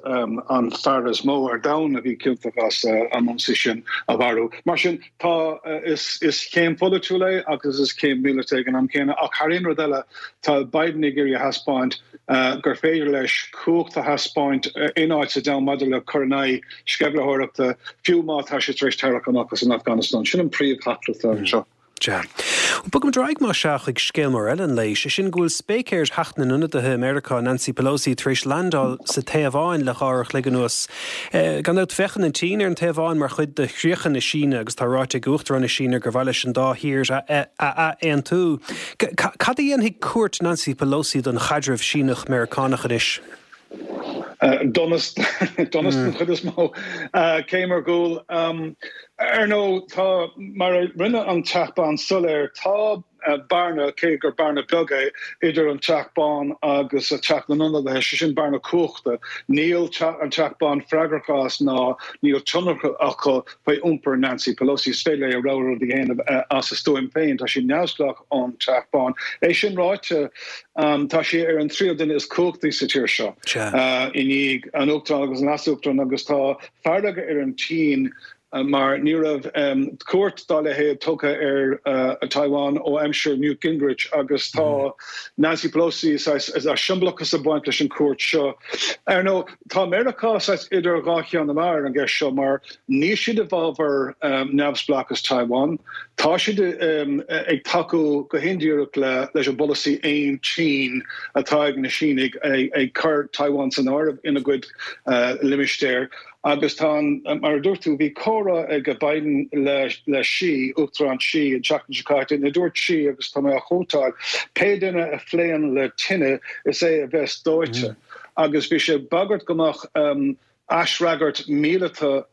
an fear is mó ar domhan a bhí ciontach as an ionsaí sin a mharú. Mar sin, tá, is céim pholaitiúil é agus is céim mhíleata ag an am céanna ach thar aon rud eile tá Biden ag iarraidh a thaispeáint gur féidir leis cumhacht a thaispeáint in áit sa domhan maidir le cur in aghaidh sceimhlitheoireachta, fiú má tá sé tar éis tarrac amach as an Afganastáin. Sin an príomhtheachtaireacht anseo. Sea. Bogfaimid ar aghaidh más ea chuig scéal mór eile an lae, sé sin go bhfuil spéicéir Theach na nIonadaithe i Meiriceá, Nancy Pelosi, tar éis landáil sa Téaváin le dhá uair a chloig anuas. Gan dabht féachann an tSín ar an Téaváin mar chuid de chríocha na Síne agus tá ráite ag Uachtarán na Síne gur mhaith leis an dá thír a ath-aontú. Cad a dhéanfaidh cuairt Nancy Pelosi don chaidreamh Síneach-Meiriceánach anois? Donas, donas den chuid is mó. Céim ar gcúl. Ar ndóigh, tá, mar a rinne an Teach Bán soiléir, tá bearna, cé gur bearna beag é, idir an Teach Bán agus Teach na nIonadaithe, sé sin bearna cumhachta. Níl an Teach Bán freagrach as ná níl tionchar acu faoi iompar Nancy Pelosi. Is féidir léi a rogha rud a dhéanamh as a stuaim féin. Tá sí neamhspleách ón Teach Bán. É sin ráite, Tá sí ar an tríú duine is cumhachtaí sa tír seo, i ndiaidh an Uachtaráin agus an Leas-Uachtaráin, agus tá fearg ar an tSín mar ní raibh cuairt dá leithéid tugtha ar Taiwan ó aimsir Newt Gingrich agus tá Nancy Pelosi saghas siombalachas ag baint leis an cuairt seo. Ar ndóigh, tá Meiriceá saghas idir dhá cheann na meá ar an gceist seo mar níl siad i bhfabhar neamhspleáchas Taiwan. Tá siad ag tacú go hindíreach leis an bpolasaí 'Aon tSín' atá ag na Sínigh, ag cur Taiwan san áireamh ina gcuid limistéar. Agus tá an, mar a dúirt tú, bhí comhrá ag Biden le Xi, Uachtarán Xi, an tseachtain seo caite, ina dúirt Xi, agus tá mé á chótáil, 'Pé duine a phléann le tine, is é a bheas dóite. Agus bhí sé ag bagairt go mbeadh aisfhreagairt míleata.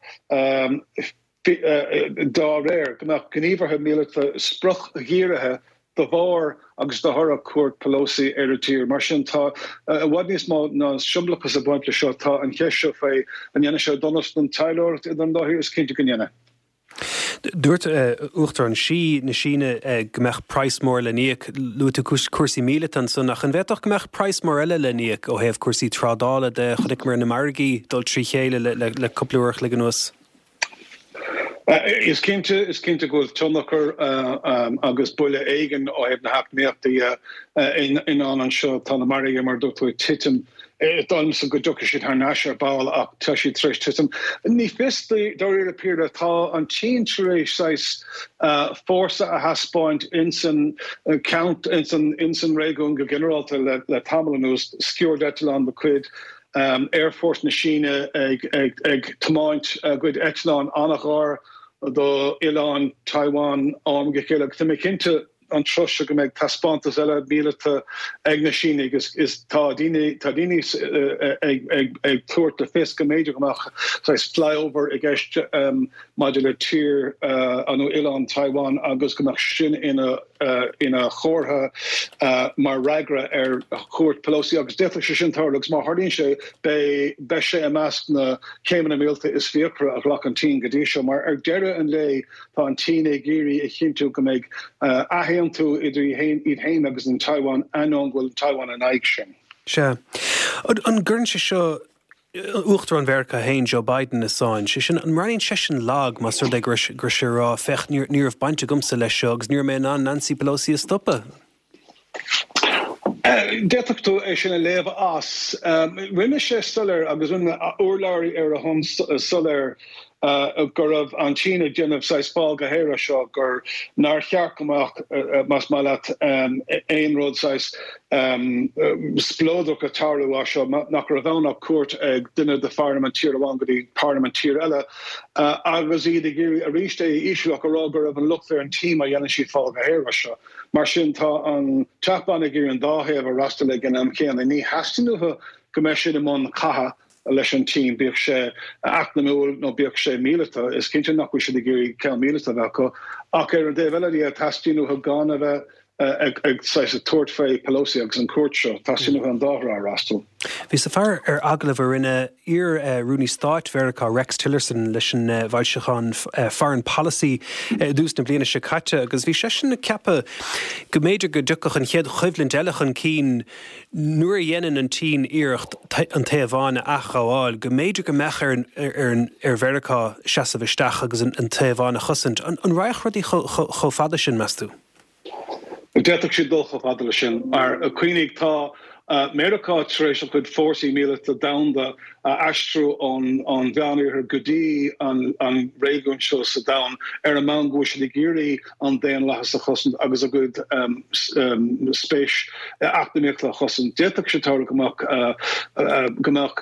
Dá réir, go mbeadh gníomhartha míleata spriocdhírithe de bharr agus de thoradh cuairt Pelosi ar an tír. Mar sin, tá i bhfad níos mó ná siombalachas ag baint leis seo. Tá an cheist seo faoi an ndéanfaidh sé donas don taidhleoireacht idir an dá thír, is cinnte go ndéanfaidh. Dúirt Uachtarán Xi na Síne go mbeadh praghas mór le n-íoc. Luaigh tú cúrsaí míleata ansan, ach an bhféadfadh go mbeadh praghas mór eile le n-íoc ó thaobh cúrsaí trádála de? Chonaiceamar na margaí dul trí chéile le cúpla uair a chloig anuas. Is cinnte, is cinnte go bhfuil tionchar agus buille éigin ó thaobh na heacnamaíochta dhe i ndán anseo. Tá na margaí, mar a dúirt tú, ag titim. Is dóigh liomsa go dtiocfaidh siad thar n-ais ar ball ach tá siad tar éis titim. Ní fios dáiríre píre, tá an tSín tar éis saghas fórsa a thaispeáint insan insan réigiún go ginearálta le tamall anuas, sciúrd eitleán de chuid Aerfort na Síne ag tiomáint a gcuid eitleán an-ghar do oileán Taiwan ó am go chéile agus tá mé cinnte an tráth seo go mbeidh taispeántas eile míleata ag na Sínigh is tá daoine tá daoine ag ag ag tabhairt le fios go mb'fhéidir go mbeadh saghas flyover i gceist maidir le tír nó oileán Taiwan agus go mbeadh sin ina ina chomhartha mar fhreagra ar chuairt Pelosi agus d'fhéadfadh sé sin tarlú agus má tharlaíonn sé beidh beidh sé i measc na céimeanna míleata is fíochmhaire a ghlac an tSín go dtí seo mar ar deireadh an lae Tá an tSín ag iarraidh a chinntiú go mbeidh athaontú idir iad féin agus an Taiwan, ainneoin go bhfuil an Taiwan in aghaidh sin. Sea. An gcuireann sé seo Uachtarán Mheiriceá féin, Joe Biden, i sáinn? Sé sin, an mbreathnaíonn seisean lag más rud é go raibh sé ag rá, féach, ní raibh baint agamsa leis seo agus ní raibh mé in ann Nancy Pelosi a stopadh? D'fhéadfadh tú é sin a léamh as. Rinne sé soiléir agus rinne urlabhraí ar a shon soiléir go raibh an tSín ag déanamh saghas fál go haer as seo, gur nár cheart go mbeadh, más maith leat, aon rud saghas spleodrach ag tarlú as seo, nach raibh ann ach cuairt ag duine de pharlaimint tír amháin go dtí parlaimint tír eile agus iad ag iarraidh arís é a ísliú ach a rá go raibh an locht ar an tSín má dhéanann siad fál go haer as seo. Mar sin, tá an Teach Bán ag iarraidh an dá thaobh a fhreastal ag an am céanna. Ní theastaíonn uathu go mbeidh siad i mbun catha leis an tSín, bíodh sé eacnamúil nó bíodh sé míleata. Is cinnte nach bhfuil siad ag iarraidh ceann míleata a bheith acu. Ach ar an dtaobh eile de, teastaíonn uathu gan a bheith ag saghas ag tabhairt faoi Pelosi agus an chuairt seo. Teastaíonn uathu an dá thrá a fhreastal. Bhíos ag faire ar agallamh a rinne iar-Rúnaí Stáit Mheiriceá Rex Tillerson leis an bhfoilseachán Foreign Policy i dtús na bliana seo caite agus bhí seisean ag ceapadh go mb'fhéidir go dtiocfadh an chéad choimhlint eile chun cinn nuair a dhéanann an tSín iarracht an Téaváin a athghabháil, go mb'fhéidir go mbeadh ar Mheiriceá seasamh isteach agus an Téaváin a chosaint. An raghadh rudaí chomh fada sin, meas tú? D'fhéadfadh siad dul chomh fada leis sin, mar cuimhnigh, tá Meiriceá tar éis a chuid fórsaí míleata domhanda a aistriú ón Mheánoirthear go dtí an réigiún seo sa domhan ar an mbonn go bhfuil siad ag iarraidh an daonlathas a chosaint agus a gcuid spéis eacnamaíochta a chosaint. D'fhéadfadh sé tarlú go mbeadh go mbeadh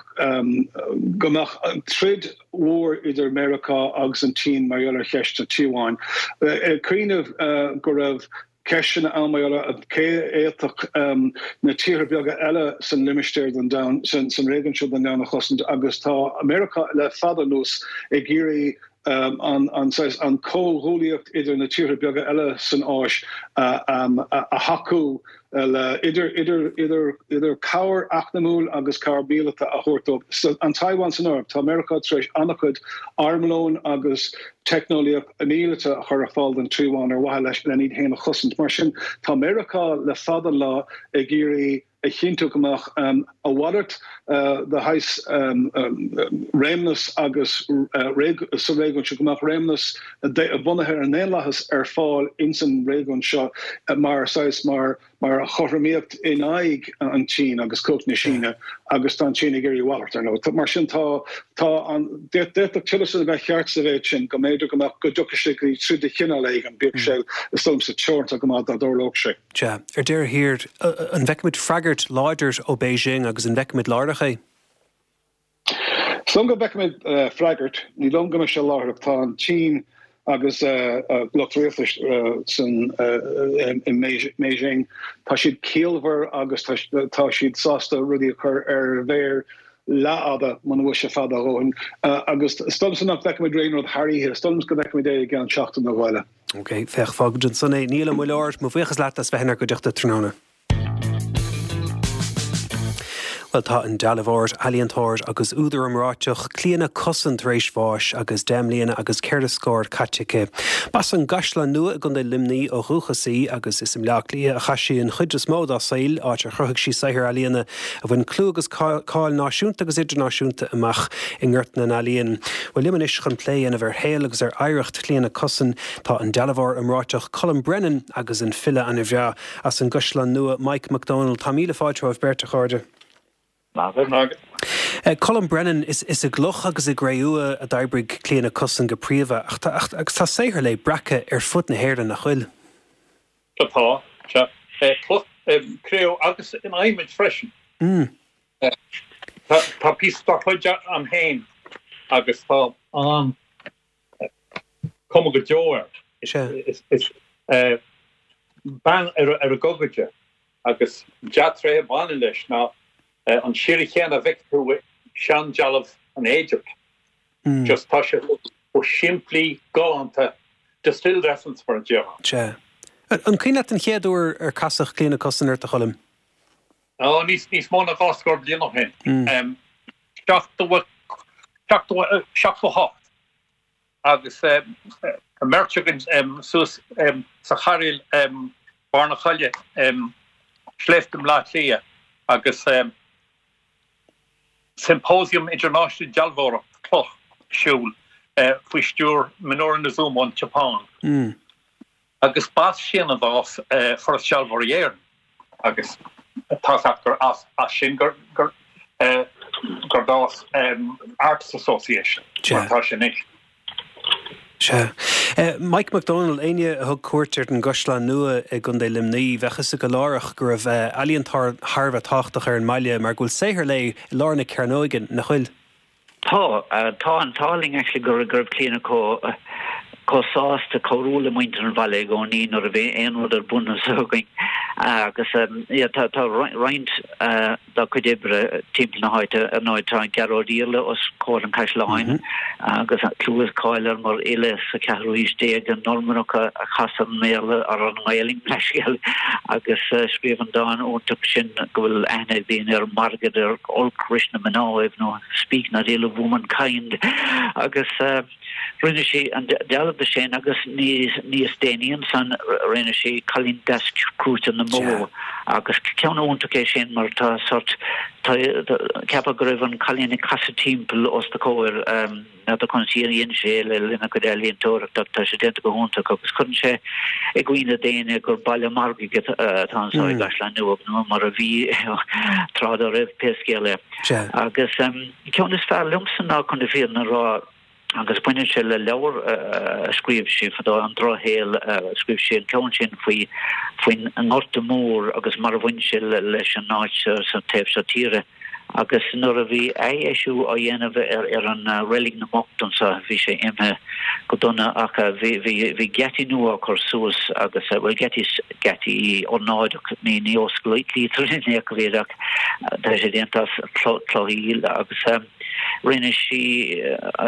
go mbeadh troid mhór idir Meiriceá agus an tSín mar gheall ar cheist na Téaváin. Ag cuimhneamh go raibh ceisteanna ann mar gheall ar cé a fhéadfadh na tíortha beaga eile san limistéar den domhan, san réigiún seo den domhan a chosaint agus tá Meiriceá le fada anuas ag iarraidh an saghas, an comhghuaillíocht idir na tíortha beaga eile san Áis a thacú. le idir idir idir idir cabhair eacnamúil agus cabhair mhíleata a thabhairt dóibh. An Taiwan san áireamh. Tá Meiriceá tar éis an-chuid armlóin agus teicneolaíocht mhíleata a chur ar fáil don Taiwan ar mhaithe leis len iad féin a chosaint. Mar sin, tá Meiriceá le fada an lá ag iarraidh a chinntiú go mbeadh a mhalairt de shaghas réimeas agus sa réigiún seo, go mbeadh réimeas bunaithe ar an ndaonlathas ar fáil ins an réigiún seo mar saghas, mar mar chothromaíocht in aghaidh an tSín agus cumhacht na Síne agus tá an tSín ag iarraidh a mhalairt, ar ndóigh. Mar sin tá, tá an, d'fhéadfadh Tillerson a bheith ceart sa mhéid sin go mb'fhéidir go mbeadh, go dtiocfadh sé go dtí troid de chineál éigin, bíodh sé, is dóigh liomsa, teoranta go maith dá dtarlódh sé. Sea. Ar deireadh thiar, an bhfeicfimid freagairt láidir ó Beijing agus an bhfeicfimid láithreach é? Is dóigh liom go bhfeicfimid freagairt. Ní dóigh liom go mbeidh sé láithreach. Tá an tSín agus lucht rialtais san i mBeijing, tá siad ciallmhar agus tá siad sásta rudaí a chur ar mhéar. leathfhada, muna bhfuil sé fada a dhóthain. Agus is dóigh liomsa nach bhfeicfimid aon rud thar oíche, is dóigh liomsa go bhfeicfimid é i gceann seachtain nó dhó eile. Ok, féach, fágfaimid ansan é. Niall Ó Muilleoir, mo bhuíochas leat as bheith inár gcuideachta tráthnóna. Bhuel, tá an dealbhóir, ealaíontóir agus údar iomráiteach Clíona Cussen tar éis bháis agus 10 mbliana agus ceithre scór caite aici. B'as an gCaisleán Nua i gContae Luimnigh ó dhúchas í agus is i mBleá Cliath a chaith sí an chuid is mó dá saol, áit ar chruthaigh sí saothair ealaíona a bhain clú agus cáil náisiúnta agus idirnáisiúnta amach i ngort na n-ealaíon. Bhuel, liom anois chun plé a dhéanamh ar shaol agus ar oidhreacht Chlíona Cussen tá an dealbhóir iomráiteach Colm Brennan agus an file an-bhreá as an gCaisleán Nua, Mike Mac Dónaill. Tá míle fáilte romhaibh beirt, a chairde. Maith agat. Colm Brennan, is i gcloch agus i gcré-umha a d'oibrigh Clíona Cussen go príomha, ach tá agus tá saothar léi breactha ar fud na hÉireann, nach bhfuil? Tá, sea. Cloch, cré-umha agus in adhmaid freisin. Tá píosa dá cuid a'm féin agus tá an cuma go deo air. Is bean ar a gogaide agus dea-tréith a bhaineann leis ná an séire chéanna a bhfeicfidh tú i seandealbh an Éigipt. Just tá sé chomh simplí, galánta, distilled essence mar a déarfá. Sea. An cuimhin leat an chéad uair ar casadh Clíona Cussen ort, a Choilm? Ó, níos níos mó ná 20 scór bliain ó shin. 78 agus an mbeirt againn suas sa chairéal Barr na Coille, Sléibhte Bhaile Átha Cliath agus Symposium Idirnáisiúnta Dealbhóireacht Cloch ar siúl faoi stiúir Minoru Niizuma ón tSeapáin. Agus b'as sin a d'fhás Foras Dealbhóirí Éireann agus tá's agat gur as sin gur gur d'fhás Artists Association mar atá sé anois. Sea. Mike Mac Dónaill, éinne a thug cuairt ar an gCaisleán Nua i gContae Luimnigh, bheadh fhios acu láithreach go raibh ealaíontóir thar a bheith tábhachtach ar an mbaile mar go bhfuil saothar léi i lár na cearnóige, nach bhfuil? Tá. Tá an t-ádh linn actually go raibh Clíona chomh chomh sásta cabhrú le muintir an bhaile i gcónaí nuair a bhí aon rud ar bun anseo againn agus yeah tá tá roinnt dá cuid oibre timpeall na háite. Ar ndóigh tá Gearóid Iarla os comhair an chaisleáin agus clú is cáil air mar fhile sa cheathrú haois déag, an Normannach a chas ar an mBéarla ar an nGaelainn leithscéal agus scríobh an dán iontach sin go bhfuil aithne ag daoine air Mairgid ar olc ris na mnáibh nó Speak not ill of womankind agus rinne sí an dealbh de sin agus níos déanaí ansan rinne sí Cailín Deas Crúite na mBó agus ceann iontach é sin mar tá sort ceapfá go raibh an cailín ag casadh timpeall os do chomhair. N'fheadar conas a dhein sé é le linn a chuid ealaíontóireachta ach tá sé déanta go hiontach agus cuireann sé i gcuimhne d'éinne gur baile margaidh atá anseo i gCaisleán Nua nó mar a bhí tráth dá raibh pé scéal é. Agus ceann is fearr liomsa ná chun na fírinne a rá agus baineann sé le leabhar a scríobh sí fadó, An Drochshaol, scríobh sí an ceann sin faoi faoin nGorta Mór agus mar a bhain sé leis an áit sa taobh seo tíre. Agus nuair a bhí athdheisiú á dhéanamh ar an Reilig na mBocht anseo, bhí sé imithe go dona ach bhí, bhí, bhí geataí nua á cur suas agus, bhuel, geataí, geataí ornáideach, ní, ní osclaítear in aon chor iad ach tá sé déanta as cloch aoil agus. Rinne sí,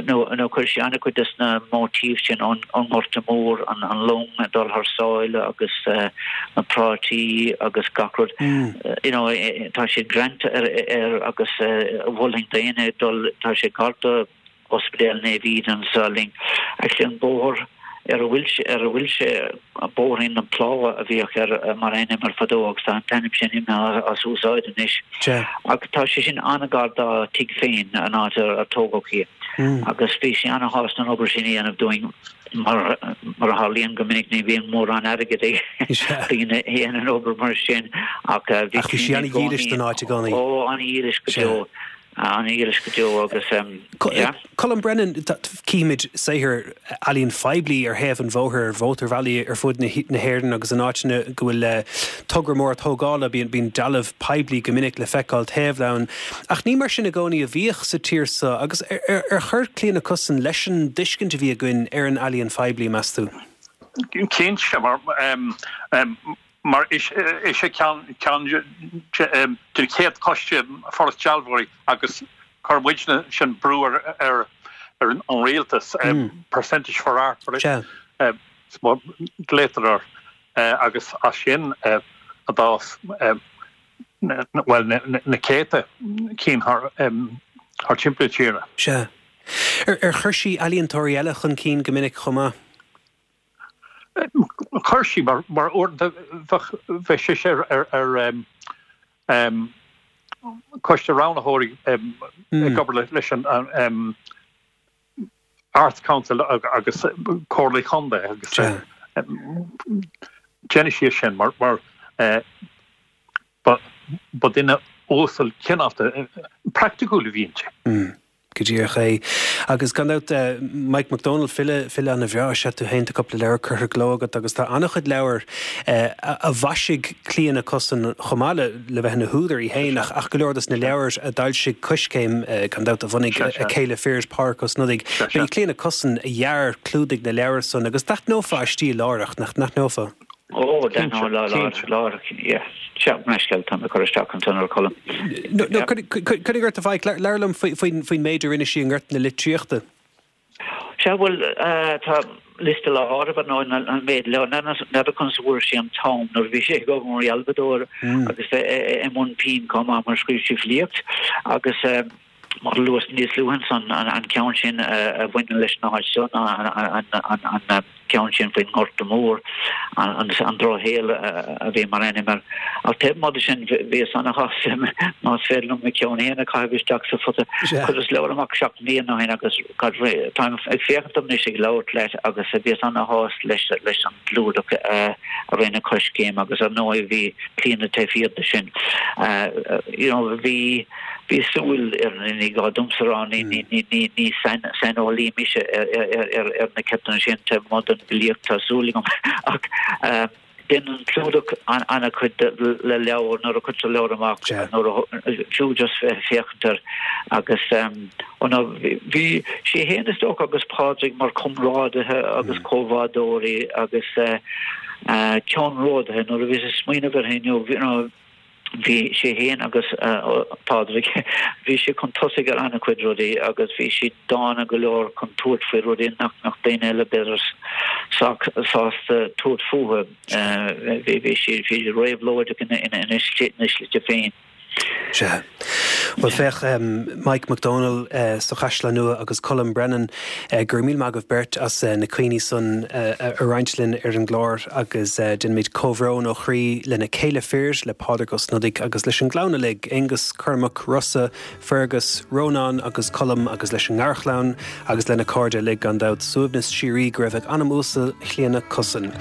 nó nó chuir sí an-chuid des na móitífs sin ón nGorta Mór, an long ag dul thar sáile agus na prátaí agus gach rud. You know, tá siad greanta air agus mholfainn d'éinne dul, tá sé gar do Ospidéal Naomh Íde anseo linn. Actually an bóthar ar a bhfuil sé, ar a bhfuil sé, Bóithrín na Plámha a bhíodh air mar ainm air fadó agus tá an t-ainm sin imithe as úsáid anois. Ach tá sé sin an-ghar dá tigh féin, an áit ar tógadh í. Agus bhí sí an-shásta an obair sin a dhéanamh dúinn mar mar a tharlaíonn go minic ní bhíonn mórán airgid ag daoine a dhéanann obair mar sin ach bhí sí an-dhílis don áit i gcónaí. Ó, an-dhílis go deo. An-dhílis go deo agus yeah. Colm Brennan, Címid saothair ealaíon phoiblí ar thaobh an bhóthair, ar mhótarbhealaí ar fud na hÉireann agus in áiteanna go bhfuil togra mór tógála, bíonn dealbh poiblí go minic le feiceáil taobh leis. Ach ní mar sin i gcónaí a bhíodh sa tír seo agus ar chuir Clíona Cussen leis an dtuiscint a bhí againn ar an ealaíon phoiblí, meas tú? Cinnte, mar mar is é ceann den chéad choiste Foras Dealbhóirí agus. Chuir muidne sin brú ar ar an rialtas, percentage for art mar a ghlaotar air, agus as sin a d'fhás bhuel na céadta cinn thar timpeall na tíre. Sea. Ar chuir sí ealaíontóirí eile chun cinn go minic chomh maith? Chuir sí, mar uaireanta bheadh sise ar choiste roghnaitheoirí ag obair leis an Arts Council agus Comhairlí Chontae agus déanadh sí é sin mar ba duine uasal cineálta praiticiúil a bhí inti. Go díreach é. Agus gan dabht, Mike McDonald, file, file ana-bhreá is ea tú féin, tá cúpla leabhar curtha i gcló agat agus tá an-chuid leabhar a mhaisigh Clíona Cussen chomh maith le le bheith ina húdar í féin ach ach go leor dos na leabhair a d'fhoilsigh Coiscéim, gan dabht a bhunaigh a céile fir, Pádraic Ó Snodaigh. Ba í Clíona Cussen a dhear clúdaigh na leabhar san agus d'aithneofá a stíl láithreach, nach n-aithneofá? Ó, d'aithneofá láithreach, yeah. Sea, leithscéal, tá mé ag cur isteach ansan ar Cholm. No, coinnigh ort a Mhaidhc, labhair liom faoin méid a rinne sí i ngort na litríochta. Sea, bhuel, tá liosta le háireamh ar ndóigh, an méid leabhar, n'fheadar conas a fuair sí an t-am nuair a bhí sí ag obair mar dhealbhadóir agus bheith i mbun pinn chomh maith mar scríobh sí filíocht agus Mar a luas níos luaithe ansan, an ceann sin a bhaineann leis an áit seo ná an ceann sin faoin nGorta Mór, an Drochshaol a bhí mar ainm air. Ach taobh amuigh de sin, bhíos ana-shásta, más féidir liom mo cheann féin a chaitheamh isteach sa phota. Chuireas leabhar amach 7 mbliana ó shin agus táim ag féachaint dom anois ag labhairt leat agus bhíos ana-shásta leis an gclúdach a rinne Coiscéim agus ar ndóigh bhí Clíona taobh thiar de sin. You know, bhí. Bhí súil ar an ní gá domsa a rá, ní saineolaí mise ar na ceisteanna sin taobh amuigh den bhfilíocht, tá súil agam, ach déanann clúdach an-chuid le leabhar nuair a chuirtear leabhar amach, nuair a fiú just bheith ag féachaint air agus bhí sí féin is dócha agus Pádraig mar chomrádaithe agus comhbhádóirí agus ceannródaithe nuair a bhíos ag smaoineamh air inniu, you know, Bhí sé féin agus Pádraig, bhí siad chun tosaigh ar an-chuid rudaí agus bhí siad dána go leor chun tabhairt faoi rudaí nach mbeadh daoine eile b'fhéidir sách sásta tabhairt fúthu. Bhí siad réabhlóideach ina slite féin. Sea. Bhuel, féach, Mike McDonald sa Chaisleán Nua agus Colm Brennan, go raibh míle maith agaibh beirt as na cuimhní san a roinnt linn ar an gclár agus déanaimid comhbhrón ó chroí lena céile fir, le Pádraig Ó Snodaigh agus leis an gclann uilig, Aonghus, Cormac, Rossa, Fergus, Rónán agus Colm agus leis an ngarchlann agus lena cairde uilig gan dabht. Suaimhneas síoraí go raibh ag anam uasal Chlíona Cussen.